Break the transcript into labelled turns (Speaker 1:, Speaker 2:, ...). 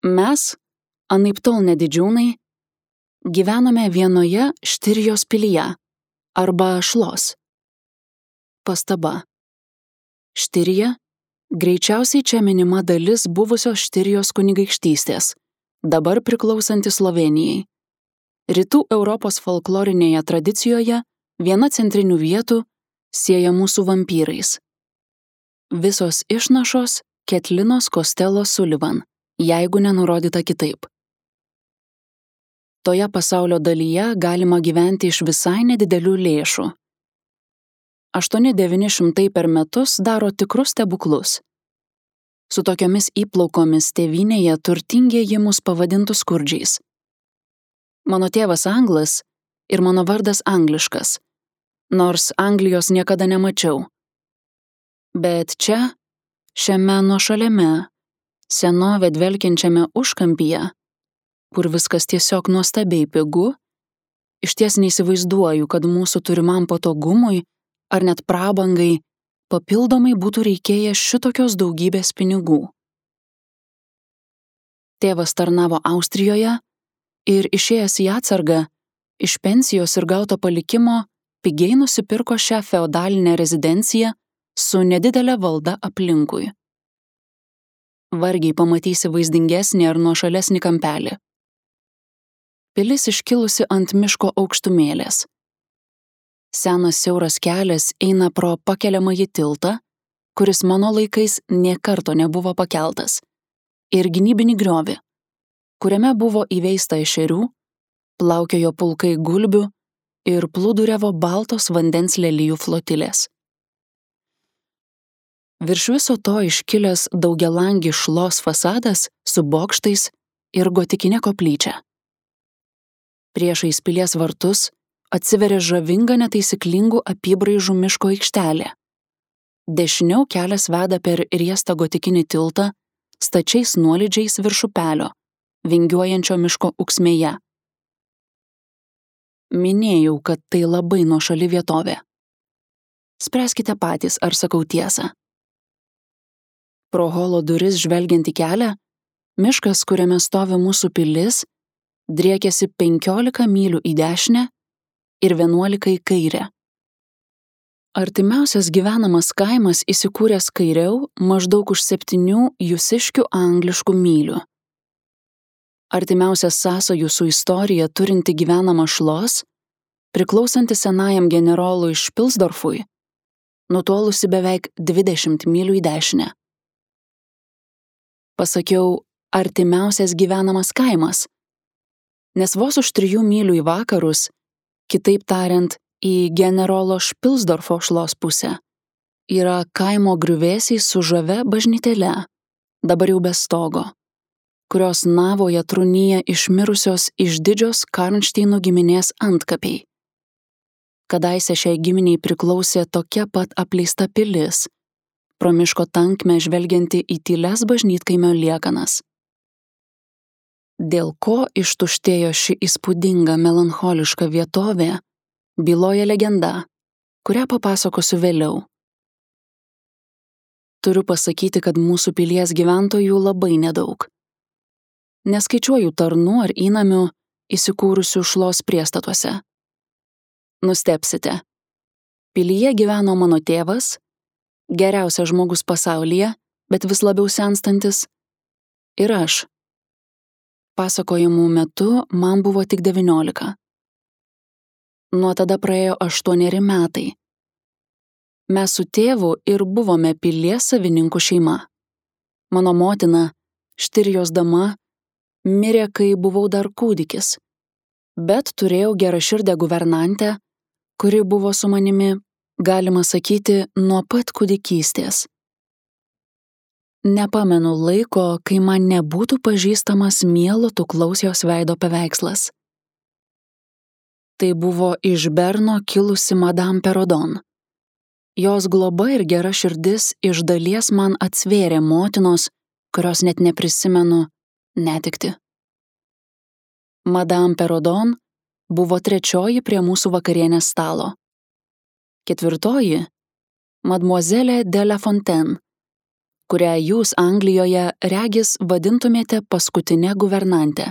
Speaker 1: Mes, anaiptol ne didžiūnai, gyvenome vienoje Štirijos pilyje arba Šlos. Pastaba. Štirija — greičiausiai čia minima dalis buvusios Štirijos kunigaikštystės, dabar priklausanti Slovėnijai. Rytų Europos folklorinėje tradicijoje viena centrinių vietų siejamų su vampyrais. Visos išnašos Ketlinos Costello Sullivan, jeigu nenurodyta kitaip. Toje pasaulio dalyje galima gyventi iš visai nedidelių lėšų. 800–900 per metus daro tikrus stebuklus. Su tokiomis įplaukomis tėvynėje turtingieji mus pavadintų skurdžiais. Mano tėvas anglas ir mano vardas angliškas, nors Anglijos niekada nemačiau. Bet čia, šiame nuošaliame, senovę dvelkiančiame užkampyje, kur viskas tiesiog nuostabiai pigu, išties neįsivaizduoju, kad mūsų turimam patogumui ar net prabangai papildomai būtų reikėję šitokios daugybės pinigų. Tėvas tarnavo Austrijoje ir išėjęs į atsargą, iš pensijos ir gauto palikimo pigiai nusipirko šią feodalinę rezidenciją su nedidelė valda aplinkui. Vargiai pamatysi vaizdingesnį ar nuošalesnį kampelį. Pilis iškilusi ant miško aukštumėlės. Senas siauras kelias eina pro pakeliamąjį tiltą, kuris mano laikais nė karto nebuvo pakeltas, ir gynybinį griovį, kuriame buvo įveista ešerių, plaukiojo pulkai gulbių ir plūduriavo baltos vandens lelijų flotilės. Virš viso to iškilęs daugialangis Šlos fasadas su bokštais ir gotikinė koplyčia. Priešais pilies vartus atsiveria žavinga netaisyklingų apybraižų miško aikštelė. Dešiniau kelias veda per riestą gotikinį tiltą stačiais nuolydžiais virš upelio, vingiuojančio miško ūksmėje. Minėjau, kad tai labai nuošali vietovė. Spręskite patys, ar sakau tiesą. Pro holo duris žvelgiant į kelią, miškas, kuriame stovi mūsų pilis, driekiasi 15 mylių į dešinę ir 11 į kairę. Artimiausias gyvenamas kaimas įsikūręs kairiau maždaug už 7 jūsiškių angliškų mylių. Artimiausias sąsajų su istorija turinti gyvenamą Šlos, priklausanti senajam generolui Špilsdorfui, nutolusi beveik 20 mylių į dešinę. Pasakiau, artimiausias gyvenamas kaimas, nes vos už 3 mylių į vakarus, kitaip tariant, į generolo Špilsdorfo Šlos pusę, yra kaimo griuvėsiai su žavia bažnytėle, dabar jau be stogo, kurios navoje trūnyja išmirusios išdidžios Karnšteinų giminės antkapiai. Kadaise šiai giminiai priklausė tokia pat apleista pilis, pro miško tankmę žvelgianti į tylias bažnytkaimio liekanas. Dėl ko ištuštėjo ši įspūdinga melancholiška vietovė, byloja legenda, kurią papasakosiu vėliau. Turiu pasakyti, kad mūsų pilies gyventojų labai nedaug. Neskaičiuoju tarnų ar įnamių įsikūrusių Šlos priestatuose. Nustebsite. Pilyje gyveno mano tėvas, geriausias žmogus pasaulyje, bet vis labiau senstantis, ir aš. Pasakojimų metu man buvo tik 19. Nuo tada praėjo 8 metai. Mes su tėvu ir buvome pilies savininkų šeima. Mano motina, Štirijos dama, mirė, kai buvau dar kūdikis, bet turėjau geraširdę guvernantę, kuri buvo su manimi, galima sakyti, nuo pat kūdikystės. Nepamenu laiko, kai man nebūtų pažįstamas mielo tuklaus jos veido paveikslas. Tai buvo iš Berno kilusi Madame Perrodon. Jos globa ir gera širdis iš dalies man atsvėrė motinos, kurios net neprisimenu, netekti. Madame Perrodon buvo 3 prie mūsų vakarienės stalo. 4 Mademoiselle de la Fontaine, kurią jūs Anglijoje regis vadintumėte paskutinę guvernantę.